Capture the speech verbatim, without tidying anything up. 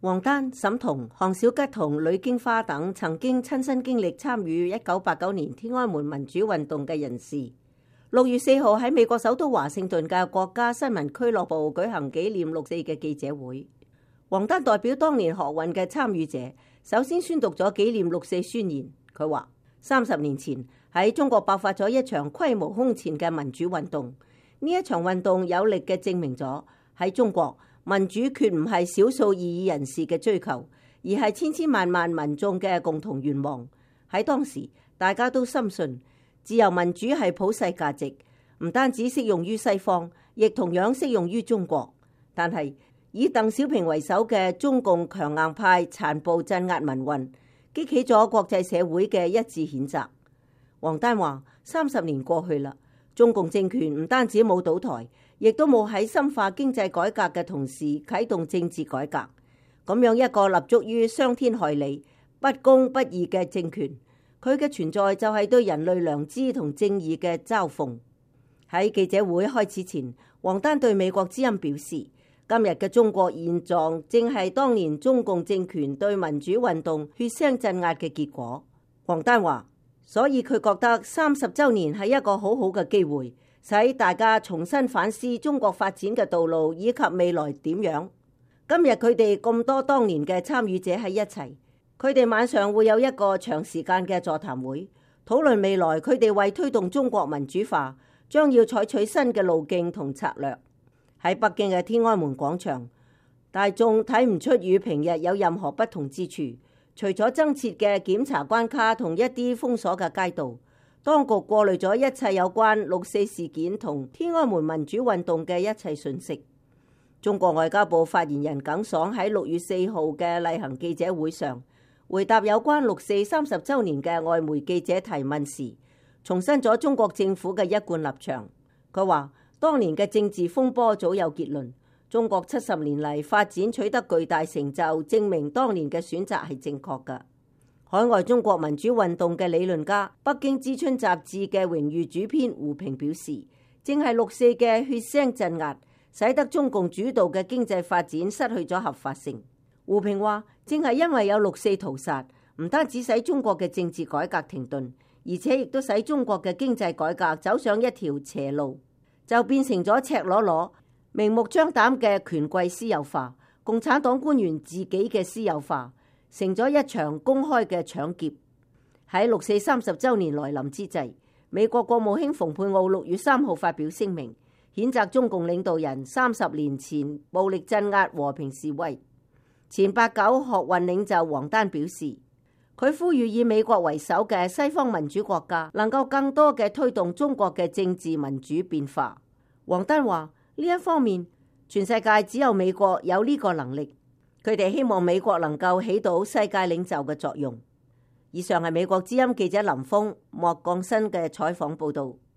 王丹、沈彤、項小吉同呂京花等曾經親身經歷參與一九八九年天安門民主運動嘅人士，六月四號喺美國首都華盛頓嘅國家新聞俱樂部舉行紀念六四嘅記者會。王丹代表當年學運嘅參與者，首先宣讀咗紀念六四宣言。佢話：三十年前喺中國爆發咗一場規模空前嘅民主運動，呢一場運動有力嘅證明咗喺中國民主決唔係少數異議人士嘅追求，而係千千萬萬民眾嘅共同願望。喺當時，大家都深信自由民主係普世價值，唔單止適用於西方，亦同樣適用於中國。但係以鄧小平為首嘅中共強硬派殘暴鎮壓民運，激起咗國際社會嘅一致譴責。王丹話：三十年過去啦，中共政權唔單止冇倒台，亦都冇喺深化經濟改革嘅同時啟動政治改革。咁樣一個立足於傷天害理、不公不義嘅政權，佢嘅存在就係對人類良知同正義嘅嘲諷。喺記者會開始前，王丹對美國之音表示：今日嘅中國現狀正係當年中共政權對民主運動血腥鎮壓嘅結果。王丹話：所以佢覺得三十週年係一個好好嘅機會，使大家重新反思中國發展嘅道路以及未來點樣。今日佢哋咁多當年嘅參與者喺一齊，佢哋晚上會有一個長時間嘅座談會，討論未來佢哋為推動中國民主化將要採取新嘅路徑同策略。喺北京嘅天安門廣場，大眾睇唔出與平日有任何不同之處，除咗增設嘅檢查關卡同一啲封鎖嘅街道，當局過濾咗一切有關六四事件同天安門民主運動嘅一切訊息。中國外交部發言人耿爽喺六月四號嘅例行記者會上回答有關六四三十週年嘅外媒記者提問時，重申咗中國政府嘅一貫立場。佢話：當年嘅政治風波早有結論，中國七十年嚟發展取得巨大成就，證明當年嘅選擇係正確㗎。海外中國民主運動嘅理論家、北京之春雜誌嘅榮譽主編胡平表示，正係六四嘅血腥鎮壓，使得中共主導嘅經濟發展失去咗合法性。胡平話：正係因為有六四屠殺，唔單止使中國嘅政治改革停頓，而且亦都使中國嘅經濟改革走上一條邪路。就變成咗赤裸裸、明目張膽嘅權貴私有化，共產黨官員自己嘅私有化，成咗一場公開嘅搶劫。喺六四三十週年來臨之際，美國國務卿蓬佩奧六月三號發表聲明，譴責中共領導人三十年前暴力鎮壓和平示威。前八九學運領袖王丹表示，佢呼籲以美國為首嘅西方民主國家能夠更多嘅推動中國嘅政治民主變化。王丹話：呢一方面，全世界只有美國有呢個能力，佢哋希望美國能夠起到世界領袖嘅作用。以上係美國之音記者林峰莫降新嘅採訪報導。